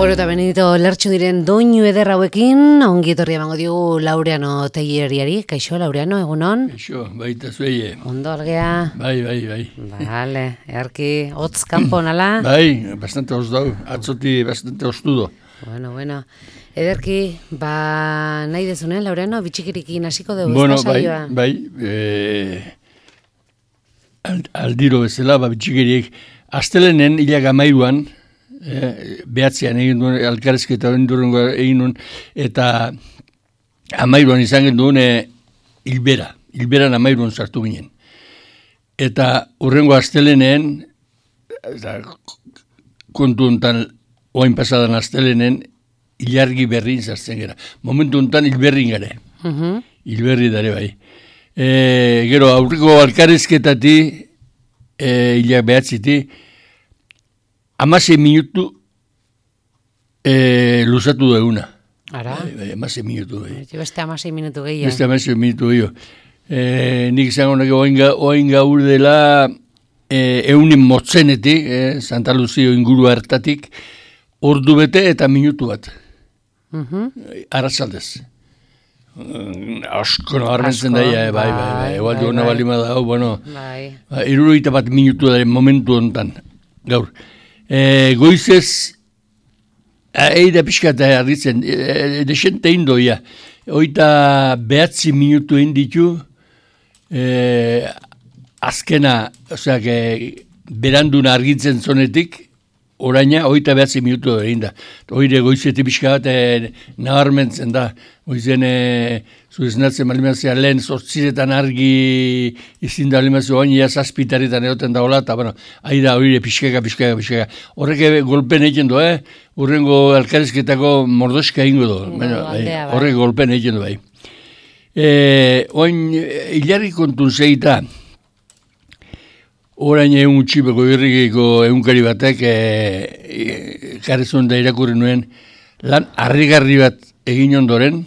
Bueno, eta benito lertxu diren doinu eder hauekin, ongi etorri emango diogu Laureano Teileriari. Kaixo, Laureano, egunon? Kaixo, baita zueie. Ondo, algea? Bai. Vale, earki, hotz kanpo nala? Bai, bastante hotz dau, atzoti bastante hoztudo. Bueno. Ederki, nahi dezunen, Laureano, bitxikirikin hasiko dugu, Bueno, saioa? bai, aldiro bezala, bitxikiriek, astelenen hilak amairuan, behatzean egin duen, alkarezketa egin duen, eta amairuan izan genduen hilberan amairuan sartu ginen. Eta hurrengo astelenen, kontu honetan, oain pasadan astelenen, hilargi berrin zartzen gara. Momentu honetan hilberrin gare. Hilberri dare bai. Gero, aurreko alkarezketati, hilak behatziti, 16 minutu luzatu duguna. Ara? Bai, 16 minutu. Beste 16 minutu gehiago. Beste 16 minutu gehiago. Nik izango nago oain gaur dela eunin motzenetik, Santa Luzio inguru hartatik, ordu bete eta minutu bat. Arratsaldez. Asko nabarmentzen daia, bai. Egual duena balima da, bueno, 71 minutu daren momentu honetan, gaur. Goizez, eida pixka eta harritzen, desente indoia, oita behatzi minutu inditu, azkena, oseak, beranduna argitzen zonetik, oraina, oita behatzi minutu egin da. Oire goizetik pixka bat nabarmentzen da. Oizen, zueznatzen malimazia lehen sortziretan argi izin da malimazia oain, ia zazpitaretan egoten daola, eta bueno, aida oire pixkaka. Horrek golpen egiten du, Urrengo alkarezketako mordoska ingo du. Horrek golpen egiten du, bai. Oain, hilarri kontun zeita, orain egun txipeko irrikiko egunkari batek karezun da irakurri nuen lan harrigarri bat egin ondoren,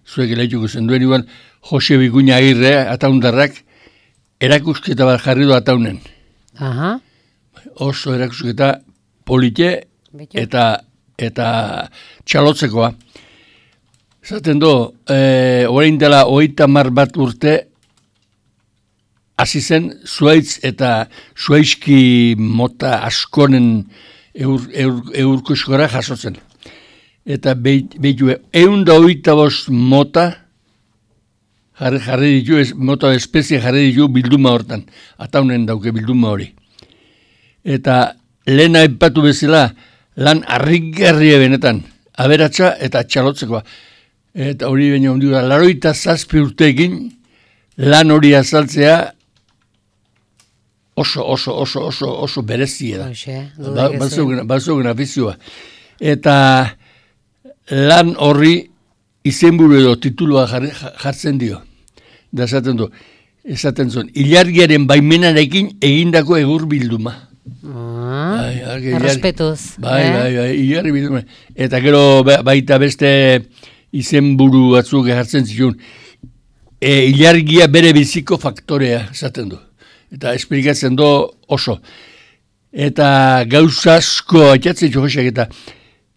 zuek elaituko zenduen igual, Jose Bikuña Agirre, ataundarrak, erakusketa bat jarri du ataunen. Oso erakusketa polite eta txalotzekoa. Zaten do, orain dela 30 bat urte, hasi zen zuaitz eta zuaizki mota askonen eurko eskora jasotzen. Eta behitu, 125 mota jarri ditu, mota espezie jarri ditu bilduma hortan. Ataunen dauke bilduma hori. Eta lehen aipatu bezala lan harrigarria benetan, aberatsa eta txalotzekoa. Eta hori baina ondiu da, 87 urteekin lan hori azaltzea oso berezia da. Bazogen afizioa. Eta lan horri izenburu edo titulua jartzen dio. Da esaten zuen, ilargiaren baimenarekin egindako egur bilduma. Errespetuz. Bai, ilargi bilduma. Eta gero baita beste izenburu batzuk jartzen zituen. Ilargia bere biziko faktorea esaten du. Eta esplikatzen du oso. Eta gauza asko atxatzen jokosak eta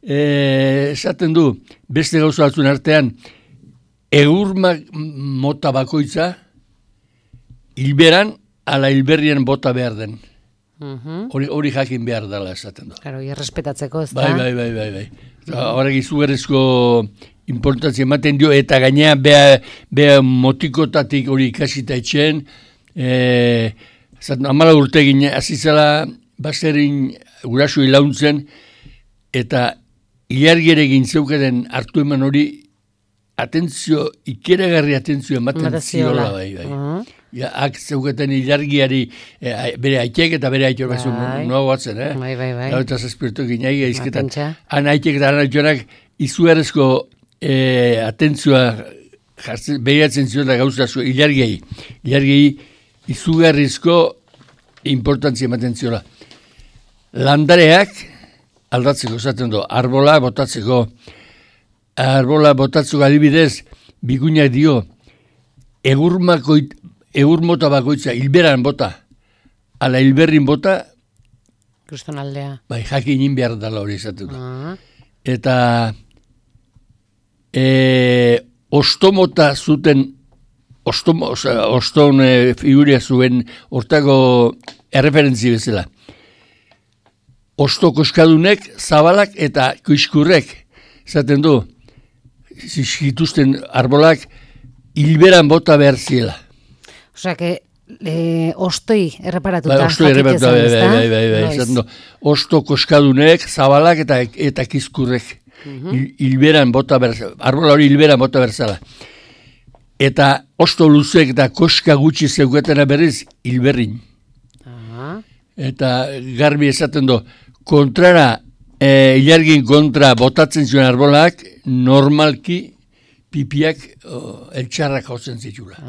esaten du beste gauza batzuen artean egur mota bakoitza hilberan ala hilberrien bota behar den. Hori jakin behar dela esaten du. Claro, errespetatzeko ez da? Bai. Horrek izugarrizko importantzia ematen dio eta gainea beha motikotatik hori ikasita etxen, 14 urte gine, azizala baserin gurasu ilauntzen, eta ilargere gintzeukaten hartu eman hori ikeragarri atentzio ematen ziola bai. Ak zeukaten ilargiari bere aitek eta bere aitor batzun noa batzen, Bai. Eta zazpirtu gineagia izketan. Han aitek eta han aitorak izugarrezko atentzioa behiratzen ziola gauza ilargiai. Ilargiai izugarrizko importantzia ematen ziola. Landareak aldatzeko zaten du, arbola botatzeko adibidez, Bikuñak dio, egur mota bakoitza, hilberan bota, ala hilberrin bota, Kristonaldea. Bai, jakin behar dela hori izaten du. eta ostomota zuten, oston figuria zuen hortako erreferentzi bezala. Osto koskadunek, zabalak eta kuiskurrek, zaten du, zituzten arbolak, hilberan bota behar ziela. Osea, ostoi erreparatuta. Ostoi erreparatuta, bai. Osto koskadunek, zabalak eta kizkurrek. Hilberan bota behar, arbola hori hilberan bota behar zela. Eta osto luzek eta koska gutxi zeuketena berriz, hilberrin. Eta garbi esaten du, kontrara, ilargin kontra botatzen zuen arbolak, normalki pipiak eltxarrak hautzen zitula.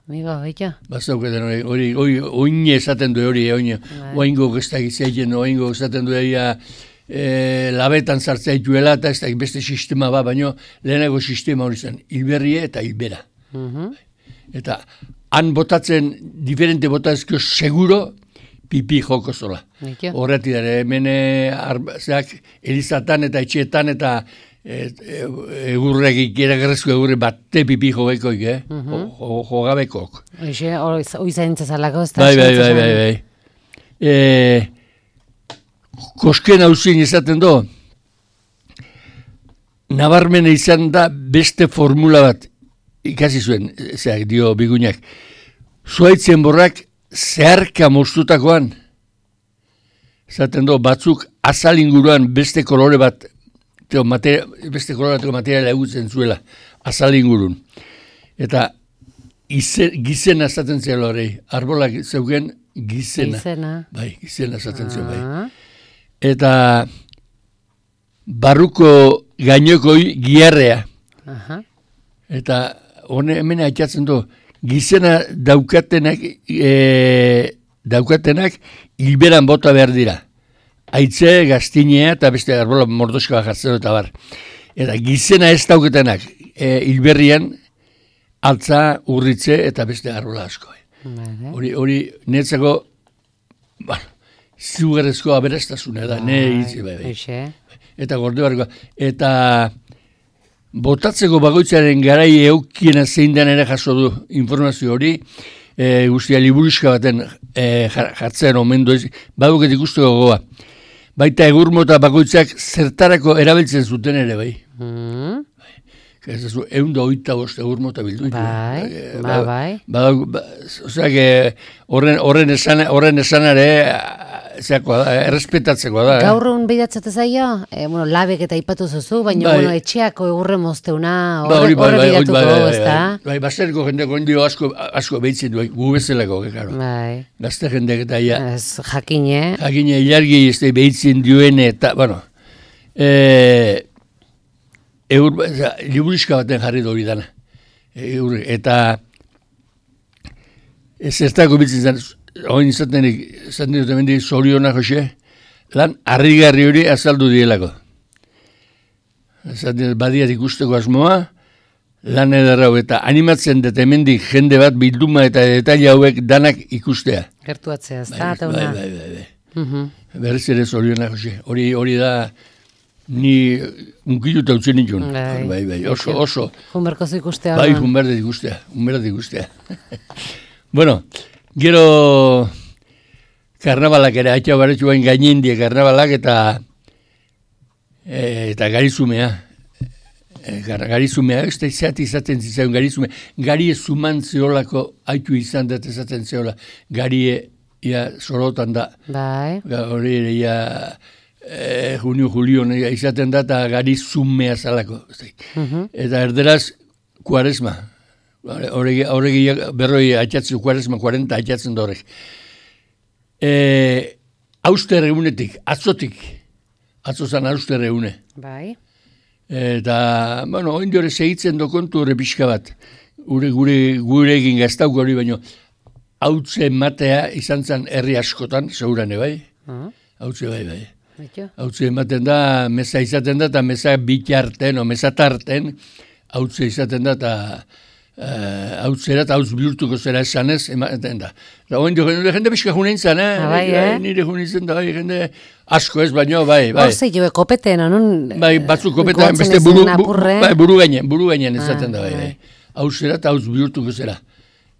Amigo, baita. Bazauketen hori, oine esaten du hori, oingo gestagizaiten, oingo esaten du labetan sartzea dituela, eta ez da beste sistema baina lehenago sistema hori zen, hilberrie eta hilbera. Eta han botatzen, diferente botatzeko seguro, pipi joko zola. Horretik dara, hemen elizatan eta etxeetan eta egurregik, eragerrezko egurre bate pipi jogekoik, jogabekok. Hoi zaintzazalako, ez da? Bai. Kosken hauzin izaten do, nabarmena izan da beste formula bat ikasi zuen, dio bigunak. Zuaitzen borrak zeharka moztutakoan, izaten do, batzuk azal inguruan beste kolore bat, beste kolore bateko materiala egutzen zuela, azal ingurun. Eta gizena izaten zela hori, arbolak zeugen gizena. Bai, gizena izaten zuen, bai. Eta barruko gainokoi giarrea. Eta hemen aitzatzen du, gizena daukatenak hilberan bota behar dira. Aitze, gaztinea eta beste arbola mordoskoa jartzen eta bar. Eta gizena ez daukatenak hilberrian altza, urritze eta beste arbola asko. Hori netzako, ziugarrezko aberastasuna da, eta gorde barko. Eta botatzeko bagoitzaren garai eukiena zein den ere jaso du informazio hori, guztia liburuska baten jartzen omen du, baduket ikusteko gogoa. Baita egurmota bakoitzak zertarako erabiltzen zuten ere, bai. Eunda 25 egurmota bildu. Bai. Oseak, horren esanare, errespetatzeko da. Gaurrun behidatzate zaio, labek eta ipatu zuzu, baina etxeako egurre mozteuna horre behidatuko, ez da? Bai, basteriko jendeko indio asko behitzen du, gu bezalako, bai. Gazte jendek eta ja. Jakine. Jakine, ilargi ez da behitzen duen eta, liburiska baten jarri hori dana. Eta zertako bitzen zen, hori izaten dut emendik zorionak, Jose, lan harrigarri hori azaldu dielako. Badiat ikusteko asmoa, lan edarrau eta animatzen dut emendik jende bat bilduma eta detaile hauek danak ikustea. Gertuatzea, ez da, eta una. Bai. Berriz ere zorionak, Jose. Hori da, ni unkiluta utzen nituen. Bai, oso. Junberkozu ikustea. Bai, junberdet ikustea. Bueno, gero karnabalak ere, haitxau baretsu bain gainindie karnabalak eta garizumea. Garizumea, ez da izaten zitzaion garizumea. Garie zuman zeolako haitu izan dut ezaten zeola. Garie, sorotan da. Bai. Hori ere, junio, izaten da eta garizumea zalako. Eta erderaz, kuaresma. Horregi berroi atxatzen, kuaresma, 40 atxatzen da horrek. Auster egunetik, atzotik. Atzozan auster egune. Bai. Eta, oindi hori segitzen do kontu horre pixka bat. Gure egin gaztauko hori, baino, hautze matea izan zen herri askotan, segurane, bai? Hautze bai. Hautze ematen da, meza izaten da, eta meza bitarten, o meza tarten, hautze izaten da, eta hau zera eta hau bihurtuko zera esanez, ematen da. Eta oen jende pixka junein zan, nire junein zen da, jende asko ez, baino, bai. Hor zei jo, kopeten, non? Bai, batzuk kopetan, beste buru gainen ezaten da, bai. Hau zera eta hau bihurtuko zera.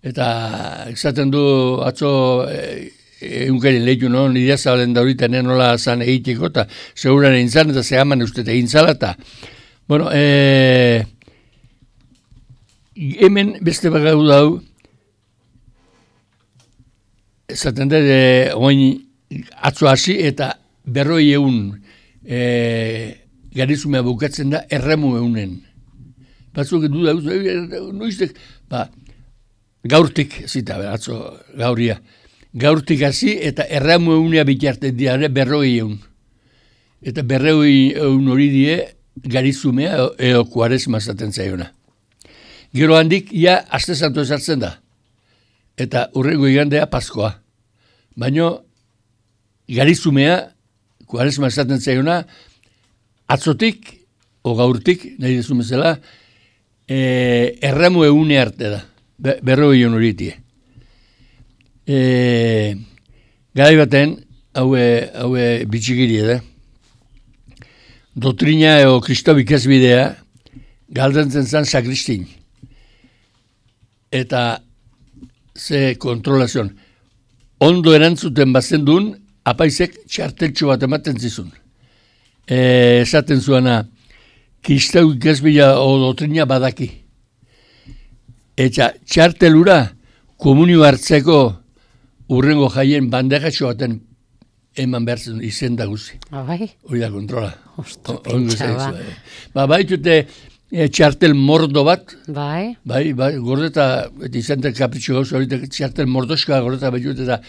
Eta esaten du atzo eunkaren lehiu, no? Nidea zabalen da horita, nola zan egiteko, eta seguran egin zan, eta zehaman uste egin zala, eta, bueno, hemen beste bagau dau, esaten da, oin atzo hasi eta 40 garizumea bukatzen da erremu eunen. Batzuk du da, noiztek, gaurtik, zita, atzo gauria, gaurtik hasi eta erremu eunea bitartzen dira 40. Eta 40 hori die garizumea eo kuaresma zaten zaiona. Gero handik, aste santu ezartzen da. Eta urrengo igandea Paskoa. Baina, garizumea, kuaresma esaten zaiona, atzotik, o gaurtik, nahi dezumezela, erramu eune arte da. Berroi honoritie. Garai baten, haue bitxikiri da. Dotrina eo Kristo ikasbidea, galdentzen zan sakristin. Eta ze kontrolazion. Ondo erantzuten bazen duen, apaizek txarteltxo bat ematen zizun. Esaten zuana, Kristau ikasbila o dotrina badaki. Eta txartelura komunio hartzeko urrengo jaien bandejatxo baten eman behar zen izen da guzi. Hori da kontrola. Osto, pintxa ba. Baitute txartel mordo bat. Bai, gordeta, eta izan da kapritxo gauz, hori txartel mordoska gordeta behitut, eta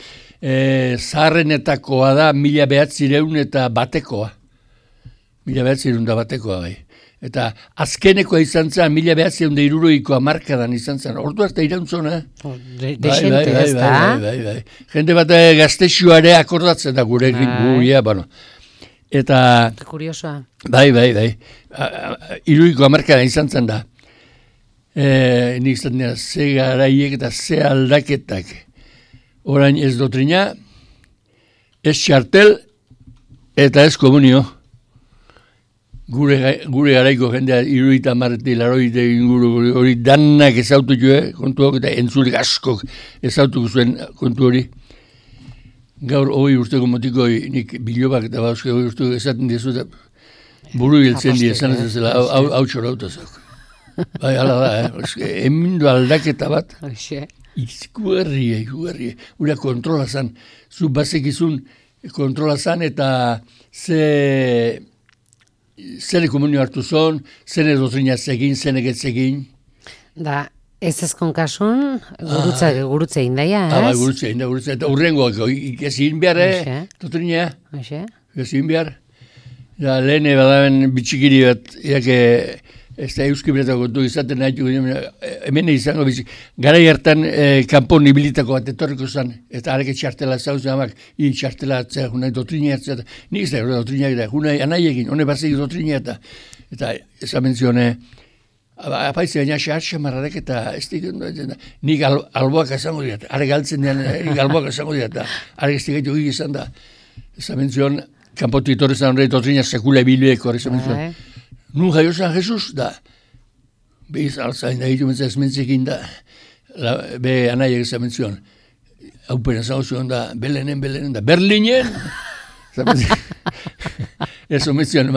zaharrenetakoa da 1900 eta batekoa. 1900 da batekoa, bai. Eta azkenekoa izan zen, 1960 markadan izan zen. Ordu arte irauntzona. Desente ez da. Bai. Jende bat gaztexuare akordatzen da gurekin guia, bueno. Eta... Kuriosoa. Bai. Iruiko markadan izan zen da. Nik izan dira, ze garaiek eta ze aldaketak. Orain ez dotrina, ez txartel eta ez komunio. Gure garaiko jendea iruita marreti, laroite inguru hori danak ezautu joe, kontuak eta entzurik askok ezautuko zuen kontu hori. Gaur hori urteko motiko nik bilobak eta bauzke hori urteko esaten dizu eta buru hiltzen dira, esan ez zela, hau txorauta zauk. Bai, ala da, emindu aldaketa bat, ikuerrie. Ura kontrola zan, zu bazekizun kontrola zan eta zene komunio hartu zon, zene dotrina zegin, zene getzegin. Da, ez ezkon kasun, gurutze indaia, ez? Bai, gurutze. Eta urrengo, ikazin behar, dotrina. Ikazin behar. Da, lehen badaben bitxikiri bat, ez da euskibretako kontu izaten nahitu, hemen izango bitxik. Garai hartan, kanpon ibilitako bat etorriko zen, eta areke txartela zauzen amak, txartela atzea, junai dotrina hartzea, nik ez da, dotrina eta, junai anaiekin, hone bazik dotrina eta ezamen zione, apaizi baina xamarrarek eta ez dikendo, nik alboak izango dira, are galtzen dian, nik alboak izango dira, are ez dikaitu gik izan da, ezamen zion, kanpotu itorri zan horre dotrina sekula ebilueko, ezamen zion. Nun jaio zan Jesus, da, behiz alzain da hitu mentzak ezmentzekin da, be anaiak ezamen zion, haupena zau zion da, Belenen da, Berlinen, ez omen zion,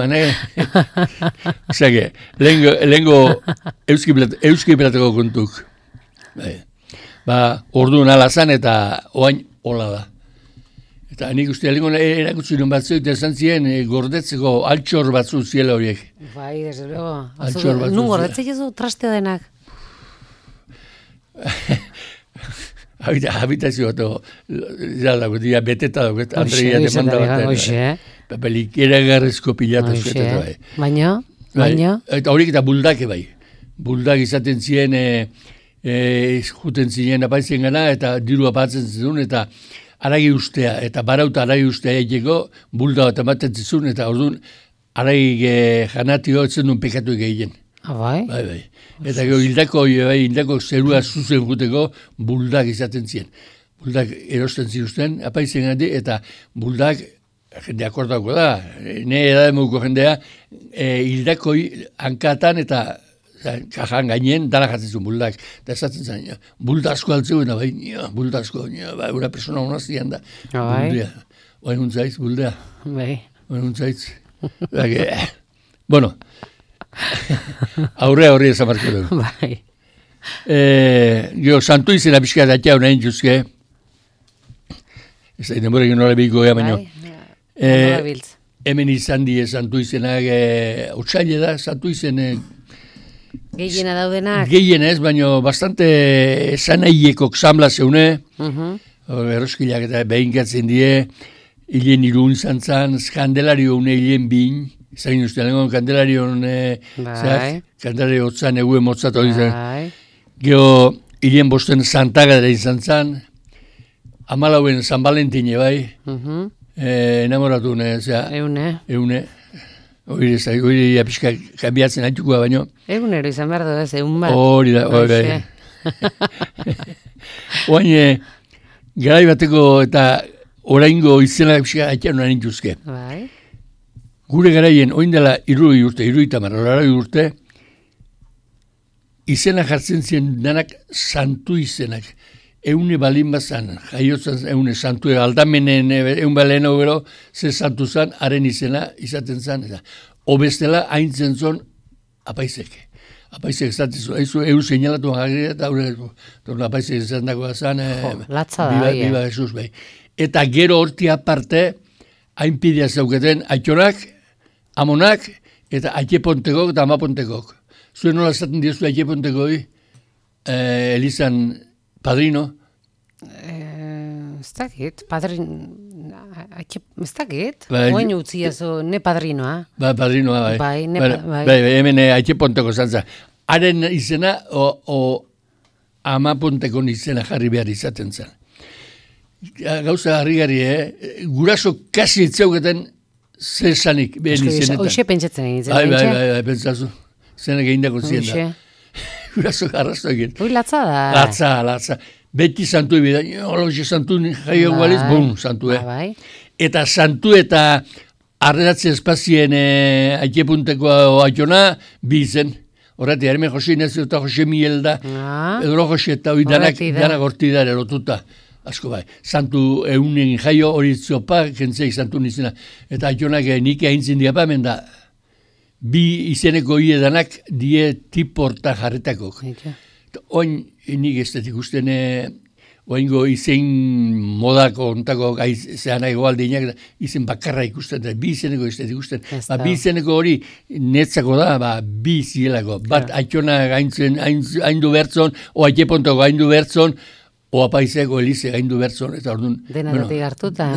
zage, lehenko euskiplateko kontuk. Ba, orduan ala zan eta oain hola da. Eta nik uste lehenko erakutsi non batzu, eta esan ziren gordetzeko altxor batzu ziela horiek. Bai, desde luego. Altxor batzu. Nun gordetzek ez du traste denak? Habitazio bat, dira beteta dago, Andrea demanda bat. Papelik eragarrezko pilatu zuetetu bai. Baina? Eta horiek eta buldake bai. Buldak izaten ziren, juten ziren apaizien gana, eta diru apatzen zizun, eta aragi ustea, eta barauta aragi ustea egiteko, bulda bat ematen zizun, eta orduan aragi janatio etzen duen pekatu egiten. Bai? Bai. Eta gero hildako zerua zuzen juteko buldak izaten ziren. Buldak erosten ziruzten, apaizen gati, eta buldak, jende akordako da, ne edademuko jendea, hildako hankatan eta kajan gainen dara jatzen zuen buldak. Eta esaten zen, bulda asko altzeu, bulda asko, una persona honaztian da. Buldea. Oain huntzaitz, buldea. Bai. Oain huntzaitz. Bueno, aurre esan marko dugu. Bai. Gero, santu izena pixka datea honain juzke. Ez da, denbora egin nola behiko ega baino. Hemen izan die santu izenak, otxaile da, santu izen... Gehiena daudenak? Gehiena ez, baino bastante esanaiekok samla zeune. Erroskilak eta behinkatzen die, hilen irun zantzan, Kandelario une hilen bin, zain uste, lengon Kandelario Kandelario otzan eguen motzat hori zen. Gero, hilen bosten Santagadera izan zan, amalauen San Valentine bai, enamoratu Eune. Hori apiska kambiatzen haitukoa baino. Egunero izan behar du ez, egun bat. Hori da, hori. Oain, garai bateko eta oraingo izena apiska haitean noan intuzke. Bai. Gure garaien, oin dela 70 urte, izena jartzen ziren danak santu izenak. Eune balin bazan, jaiotzen eune santu, aldamenen eun balen gero, ze santu zan, haren izena izaten zan. Obestela haintzen zon apaizek. Apaizek esaten zuen, eun seinalatu agri eta apaizek esaten dagoa zan. Latza da, Biba Jesus, bai. Eta gero horti aparte, hainpidea zauketen, aitonak, amonak, eta aitepontekok eta amapontekok. Zuen nola esaten diozu aitepontekoi, Elizan padrino? Ez dakit, ez dakit, oain utziazu, ne padrinoa. Padrinoa, bai. Bai, hemen aiteponteko zantza. Haren izena, amaponteko izena jarri behar izaten zen. Gauza harri-gari, guraso kasi etzeuketen zesanik behen izenetan. Hoxe pentsatzen egin zen. Bai, pentsazu. Zenak egin dako zien da. Guraso garrasto egin. Ui, latza da. Latza. Beti santu ebida, oloxe santu jaio gualiz, santu, Eta santu eta arredatze espazien aitepunteko aiona, bi izen. Horretik, hemen Jose Inazio eta Jose Miel da, edo Jose eta hori danak horti da erotuta. Asko bai, santu eunen jaio hori ziopa, jentzeik santu nizena. Eta aitonak nik haintzin diapa, hemen da, bi izeneko hiedanak die tiporta jarretakok. Oin, nik ez dut ikusten, oingo izen modako ontako zean egoaldinak, izen bakarra ikusten, bi izeneko ez dut ikusten. Bi izeneko hori netzako da, bi zielako. Bat aitona haindu bertzon, o aitepontako haindu bertzon, o apaizeko Elize haindu bertzon, eta orduan... Denatatik hartuta.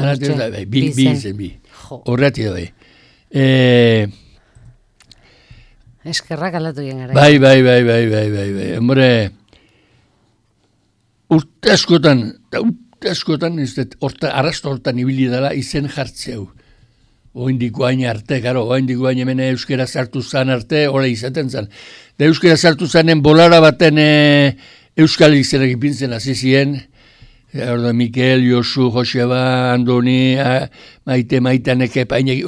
Bi izen, bi. Horretik da, Eskerrak aldatu gen gara. Bai. Hombre, urte askotan, arrasto hortan ibili dela izen jartzeu. Oindiko hain arte, oindiko hain hemen euskera sartu zan arte, hori izaten zan. Da euskera sartu zanen bolara baten euskal izenak ipintzen hasi ziren. Mikel, Josu, Joseba, Andoni, Maite, Painek,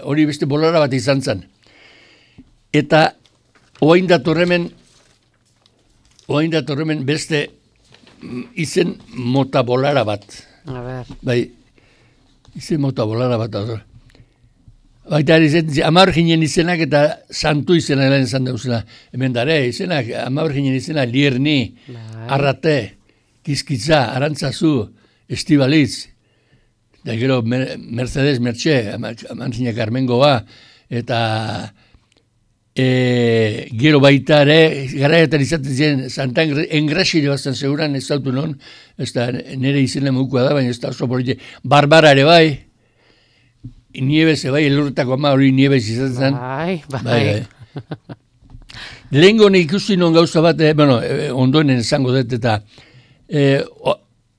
hori beste bolara bat izan zan. Eta oain datorremen beste izen mota bolara bat. A ber. Bai, izen mota bolara bat. Baita amar ginen izenak eta santu izenak lehen izan dauzela. Hemen dare, izenak, amar ginen izenak Lierni, Arrate, Kizkitza, Arantzazu, Estibalitz, da gero Mercedes Mertxe, Amantzinak Armengoa, eta... gero baita ere, garaietan izaten ziren, Santan engrasile bazten seguran ez zautu non, ez da nire izena mukua da, baina ez da oso polite. Barbara ere bai, Nieves bai, elurretako ama hori Nieves izaten zen. Bai. Lehenko ikusi non gauza bat, ondoenen esango dut eta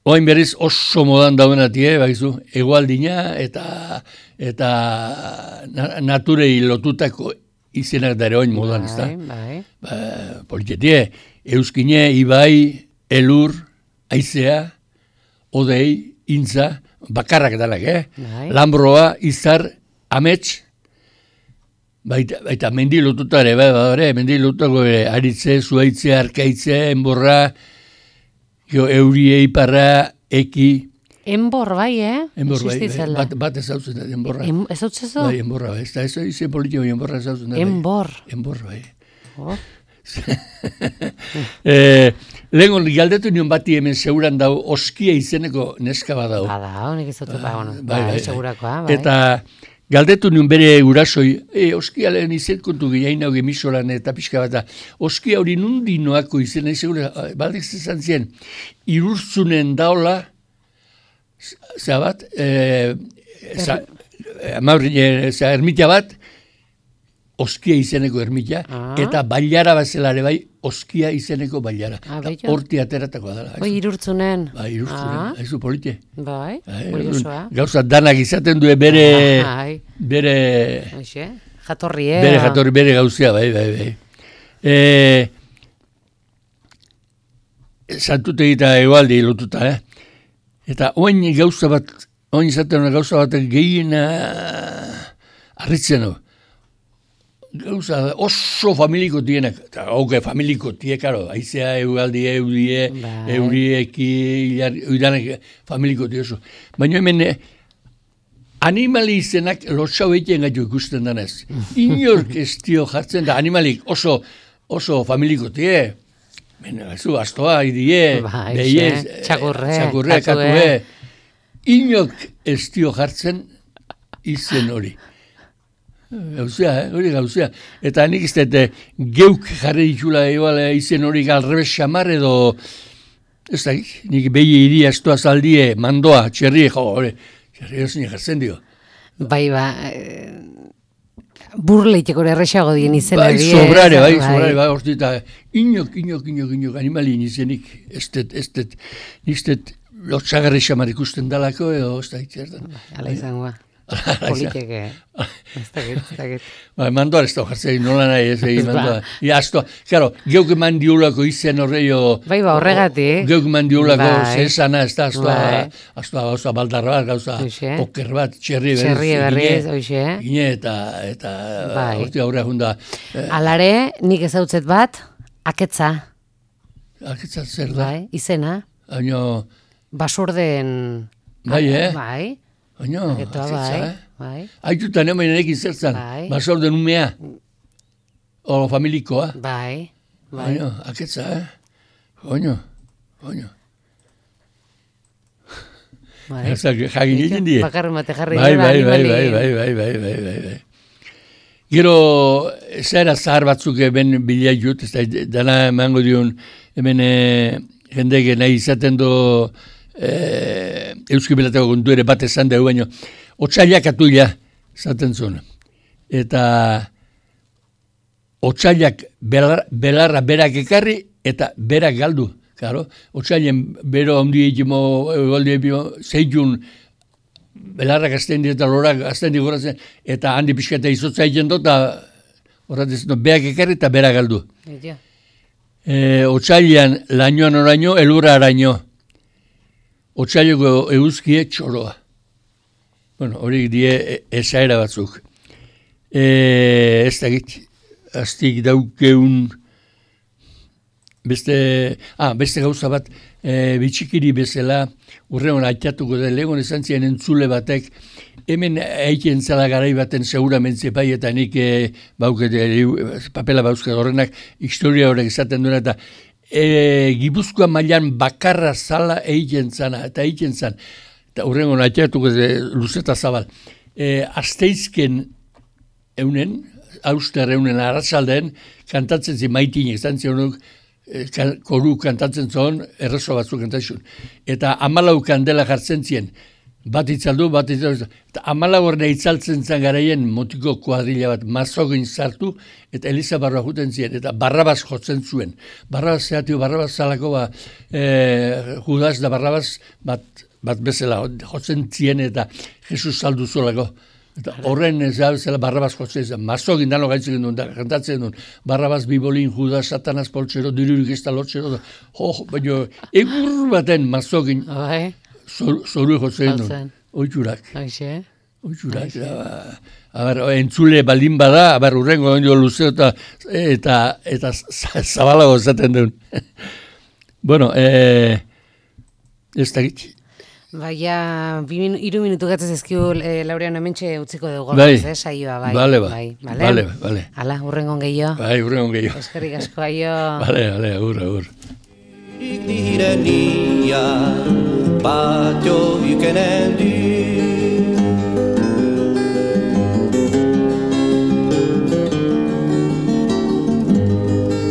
oain berriz oso modan daudenati, baizu, egualdina eta naturei lotutako izenak dare oin modan, ez da? Bai. Politetie, Euskine, Ibai, Elur, Aizea, Odei, Intza, bakarrak danak, Bai. Lambroa, Izar, Amets, baita mendi lotuta ere, mendi lotutako Aritze, Zuaitze, Arkaitze, Enborra, Eurie, Iparra, Eki. Enbor, bai, Enbor, bai, Existitzela. bat ezautzen da, Enborra. Ez hau txezo? Bai, Enborra, bai, ez da, ez izen politiko Enborra ezautzen da. Enbor. Enbor, bai. Oh. Lehen galdetu nion bati hemen seguran dau, Oskia izeneko neska bat dau. Bada, honek ez dut, Bai, segurakoa, bai. Eta galdetu nion bere urasoi, Oskia lehen izen kontu gehiain hau gemisolan eta pixka bat da. Oskia hori nundi noako izena, segura, baldek zezan zien, Irurtzunen daola, zabat, ermitia bat, Oskia izeneko ermitia, eta bailara bazelare bai, Oskia izeneko bailara. Horti ateratako dela. Bai, Irurtzunen. Bai, Irurtzunen, haizu polite. Bai, kuriosoa. Gauza danak izaten du bere jatorri, bere jatorri, bere gauzea, bai. Santute egita egualdi lotuta, Eta oin gauza bat, oin izaten gauza bat gehien arritzen du. Gauza oso familiko tienak, eta familiko tie, karo, aizea, egualdi, eurieki, uidanek familiko tie oso. Baina hemen, animali izenak lotxau egiten gaitu ikusten danez. Inork ez dio jartzen da, animalik oso familiko tie. Zu, astoa, idie, behiez, txakurre, katue. Inok ez dio jartzen izen hori. Gauzea, hori gauzea. Eta nik ez dut geuk jarri ditula izen hori galrebes xamar edo, ez da, nik behi iri astoa zaldie, mandoa, txerri, txerri ez jartzen dio. Bai, burleiteko erresago dien izena. Bai, sobrare, horti eta inok, animalien izenik, ez dut, lotxagarri xamar ikusten dalako, edo, ez da, itzertan. Ala izangoa, politeke, ez dakit. Mandoa ez da, jartzen, nola nahi ez egin mandoa. Aztoa, karo, geuk eman diolako izen horreio. Bai, horregatik. Geuk eman diolako zesana, ez da, aztoa gauza baldarra bat, gauza poker bat, txerri berriz, oixe. Gine eta horti aurre junda. Alare, nik ezautzet bat, aketza. Aketza zer da? Bai, izena. Baina... Basorden... Bai, Bai. Baina, aketza, bai. Aitutan hemen enekin zertzan, basorden umea. Oro familikoa. Bai. Baina, aketza, Baina. Jagin egin die. Bakarren bate jarri. Bai. Gero, zera zahar batzuk ben bilai jut, ez da, dana emango dion, hemen jendeke nahi izaten do Euski Belateko kontu ere bat esan dugu, baina otsailak atuila zaten zuen. Eta otsailak belarra berak ekarri eta berak galdu. Claro, otsailen bero handi egimo, zeitun belarrak azten dira eta lorak azten dira eta handi pixketa izotza egin dut, eta horretez, berak ekarri eta berak galdu. Otsailean lainoan oraino, elurra araino. Otsaileko eguzkie txoroa. Bueno, horiek die esaera batzuk. Ez dakit, aztik daukeun beste gauza bat, bitxikiri bezala, urreon aitatuko da, legon esan ziren entzule batek, hemen eiken zala garai baten seguramentze bai, eta nik papela bauzkat horrenak historia horrek esaten duena, eta Gipuzkoa mailan bakarra zala eiken zana, eta eiken zan, eta urreon aitatuko da, luzeta zabal. Asteizken eunen, auster eunen arratzalden, kantatzen zi maitinek, zan zionuk, koru kantatzen zon, errezo batzuk kantatzen. Eta 14 kandela jartzen zien, bat itzaldu, eta 14 horne itzaltzen zen garaien motiko kuadrilla bat mazogin sartu, eta Eliza barroa juten zien, eta Barrabas jotzen zuen. Barrabas zehatio, Barrabas zalako, Judas da Barrabas bat bezala jotzen zien, eta Jesus saldu zolako. Eta horren ez da zela Barrabas jotzen zen, mazogin dano gaitzen duen, da kantatzen duen, Barrabas bibolin, Judas, Satanas poltsero, dirurik ez da lotxero, baina egur baten mazogin zoru jotzen duen, oitzurak. Oitzurak, entzule baldin bada, urrengo ondio luzeo eta zabalago zaten duen. Bueno, ez da gitz. Baina, 3 minutu gatzez ezkiu Laureano hementxe utziko dugu saioa, bai. Bale. Hala, urrengon gehiago. Bai, urrengon gehiago. Eskerrik asko, aio. Bale, agur. Direnia, patio ykenen